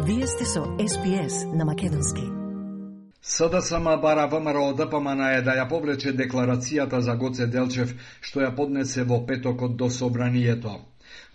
Вие сте со SPS на македонски. СДСМ бара ВМРО ДПМН да ја повлече декларацијата за Гоце Делчев, што ја поднесе во петокот до Собранието.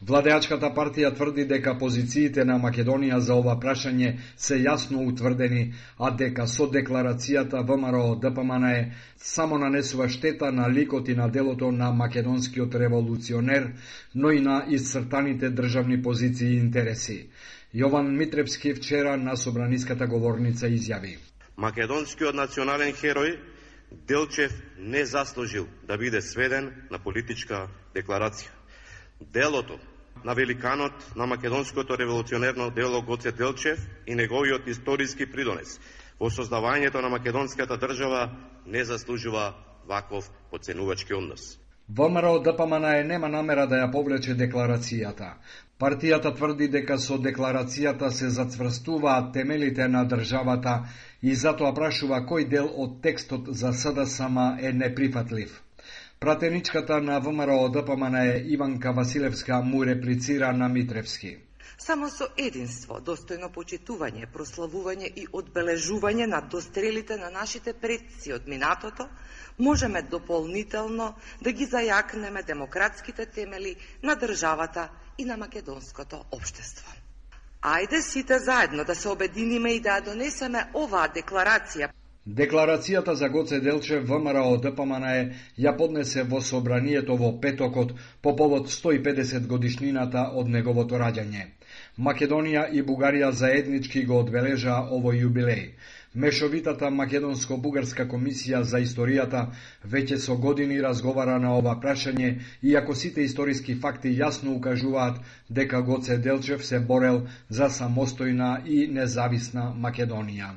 Владеачката партија тврди дека позициите на Македонија за ова прашање се јасно утврдени, а дека со декларацијата ВМРО ДПМН само нанесува штета на ликот и на делото на македонскиот револуционер, но и на исцртаните државни позиции и интереси. Јован Митревски вчера на собраниската говорница изјави: Македонскиот национален херој Делчев не заслужил да биде сведен на политичка декларација. Делото на великанот на македонското револуционерно дело Гоце Делчев и неговиот историски придонес во создавањето на македонската држава не заслужува ваков поценувачки однос. ВМРО ДПМН нема намера да ја повлече декларацијата. Партијата тврди дека со декларацијата се зацврстуваат темелите на државата и затоа прашува кој дел од текстот за СДСМ е неприфатлив. Пратеничката на ВМРО ДПМН Иванка Василевска му реплицира на Митревски: Само со единство, достојно почитување, прославување и одбележување на дострелите на нашите предци од минатото, можеме дополнително да ги зајакнеме демократските темели на државата и на македонското општество. Ајде сите заедно да се обединиме и да ја донесеме оваа декларација. Декларацијата за Гоце Делчев ВМРО ДПМН ја поднесе во Собранието во петокот по повод 150 годишнината од неговото раѓање. Македонија и Бугарија заеднички го одбележаа овој јубилеј. Мешовитата македонско-бугарска комисија за историјата веќе со години разговара на ова прашање, иако сите историски факти јасно укажуваат дека Гоце Делчев се борел за самостојна и независна Македонија.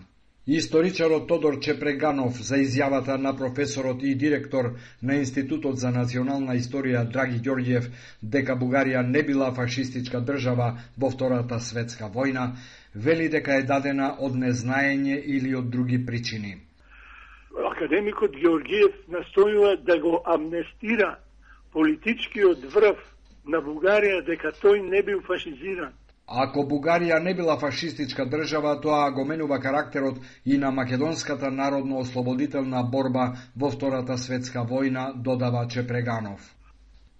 Историчарот Тодор Чепреганов за изјавата на професорот и директор на Институтот за национална историја Драги Ѓорѓиев дека Бугарија не била фашистичка држава во Втората светска војна, вели дека е дадена од незнаење или од други причини. Академикот Ѓорѓиев настојува да го амнестира политичкиот врв на Бугарија дека тој не бил фашизиран. Ако Бугарија не била фашистичка држава, тоа го менува карактерот и на македонската народно-ослободителна борба во Втората светска војна, додава Чепреганов.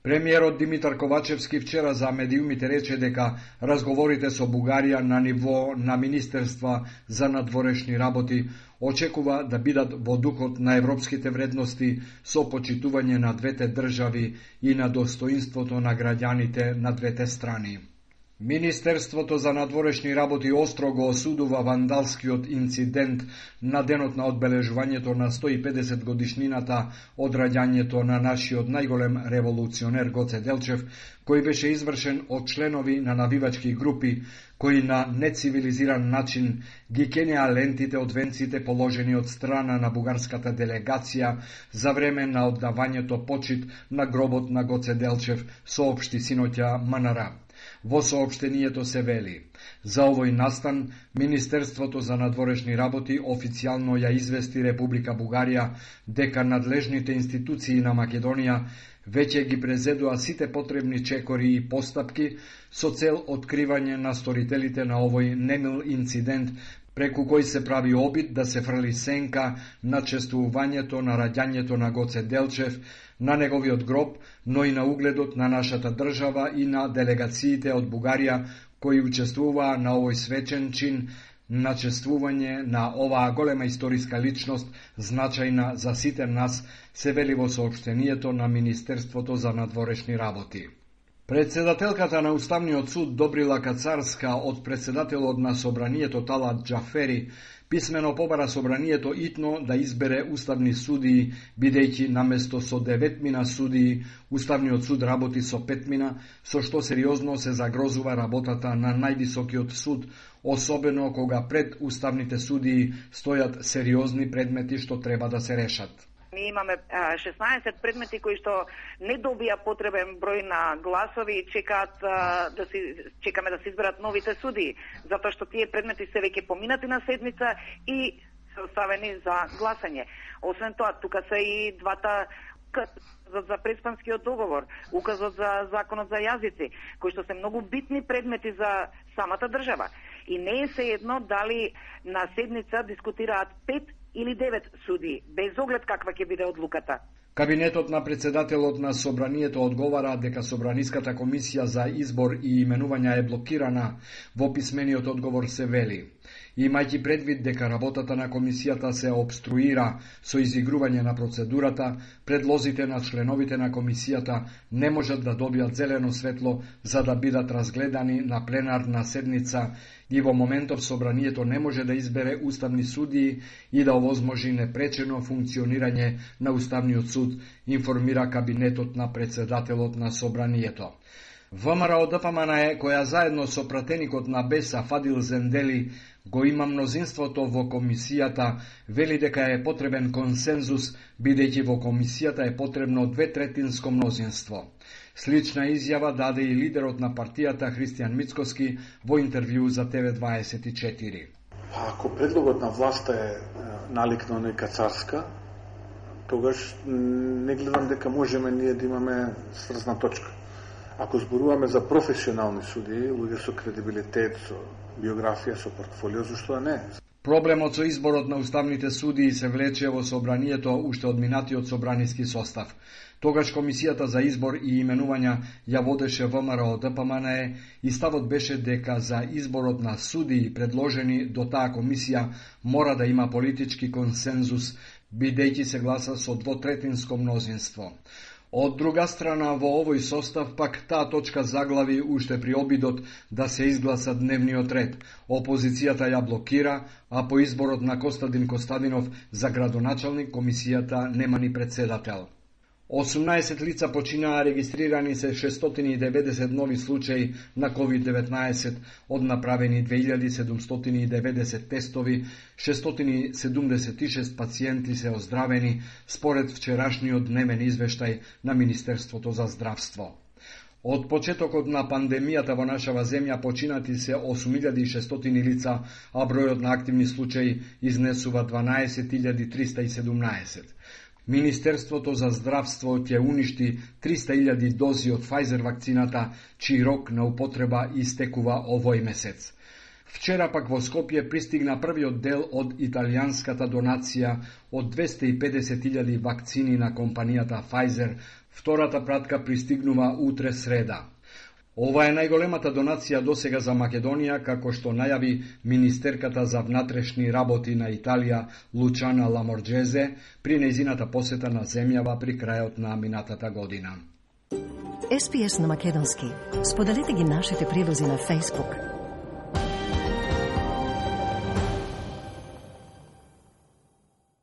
Премиерот Димитар Ковачевски вчера за медиумите рече дека разговорите со Бугарија на ниво на Министерства за надворешни работи очекува да бидат во духот на европските вредности со почитување на двете држави и на достоинството на граѓаните на двете страни. Министерството за надворешни работи остро го осудува вандалскиот инцидент на денот на одбележувањето на 150 годишнината од раѓањето на нашиот најголем револуционер Гоце Делчев, кој беше извршен од членови на навивачки групи кои на нецивилизиран начин ги кенеа лентите од венците положени од страна на бугарската делегација за време на оддавањето почит на гробот на Гоце Делчев, соопшти синоќа МНР. Во соопштението се вели: за овој настан Министерството за надворешни работи официјално ја извести Република Бугарија дека надлежните институции на Македонија веќе ги презедоа сите потребни чекори и постапки со цел откривање на сторителите на овој немил инцидент, преку кој се прави обид да се фрли сенка на чествувањето на раѓањето на Гоце Делчев, на неговиот гроб, но и на угледот на нашата држава и на делегациите од Бугарија кои учествуваа на овој свечен чин на чествување на оваа голема историска личност, значајна за сите нас, се вели во соопштението на Министерството за надворешни работи. Председателката на Уставниот суд Добрила Кацарска од председателот на Собранието Талат Џафери писмено побара Собранието итно да избере уставни судии, бидејќи наместо со 9 судии, Уставниот суд работи со 5, со што сериозно се загрозува работата на највисокиот суд, особено кога пред уставните судии стојат сериозни предмети што треба да се решат. Ние имаме 16 предмети кои што не добија потребен број на гласови и чекаме да се изберат новите судии, затоа што тие предмети се веќе поминати на седмица и се оставени за гласање. Освен тоа, тука се и двата за преспанскиот договор, указот за законот за јазици, кои што се многу битни предмети за самата држава. И не е сеедно дали на седница дискутираат 5 или 9 суди, без оглед каква ќе биде одлуката. Кабинетот на председателот на Собранието одговара дека Собраниската комисија за избор и именување е блокирана. Во писмениот одговор се вели: имајќи предвид дека работата на комисијата се обструира со изигрување на процедурата, предлозите на членовите на комисијата не можат да добијат зелено светло за да бидат разгледани на пленарна седница и во моментов Собранието не може да избере уставни судии и да овозможи непречено функционирање на Уставниот суд, информира кабинетот на председателот на Собранието. ВМРО-ДПМНЕ, која заедно со пратеникот на БЕСА Фадил Зендели го има мнозинството во комисијата, вели дека е потребен консензус, бидејќи во комисијата е потребно 2/3 мнозинство. Слична изјава даде и лидерот на партијата Христијан Мицкоски во интервју за ТВ24. Ако предлогот на власта е налик на нека царска, тогаш не гледам дека можеме ние да имаме сврзна точка. Ако зборуваме за професионални судии, луѓе со кредибилитет, со биографија, со портфолио, зашто не? Проблемот со изборот на уставните судии се влече во Собранието уште од минатиот собраниски состав. Тогаш комисијата за избор и именувања ја водеше ВМРО-ДПМНЕ и ставот беше дека за изборот на судии предложени до таа комисија мора да има политички консензус, бидејќи се гласа со 2/3 мнозинство. Од друга страна, во овој состав пак таа точка заглави уште при обидот да се изгласа дневниот ред. Опозицијата ја блокира, а по изборот на Костадин Костадинов за градоначалник комисијата нема ни председател. 18 лица починаа, регистрирани се 690 нови случаи на COVID-19, од направени 2790 тестови, 676 пациенти се оздравени, според вчерашниот дневен извештај на Министерството за здравство. Од почетокот на пандемијата во нашава земја починати се 8600 лица, а бројот на активни случаи изнесува 12317. Министерството за здравство ќе уништи 300.000 дози од Pfizer вакцината, чиј рок на употреба истекува овој месец. Вчера пак во Скопје пристигна првиот дел од италијанската донација од 250.000 вакцини на компанијата Pfizer. Втората пратка пристигнува утре среда. Ова е најголемата донација досега за Македонија, како што најави министерката за внатрешни работи на Италија Лучана Ламорџезе при нејзината посета на земјава при крајот на минатата година. SPS на македонски. Споделете ги нашите прилози на Facebook.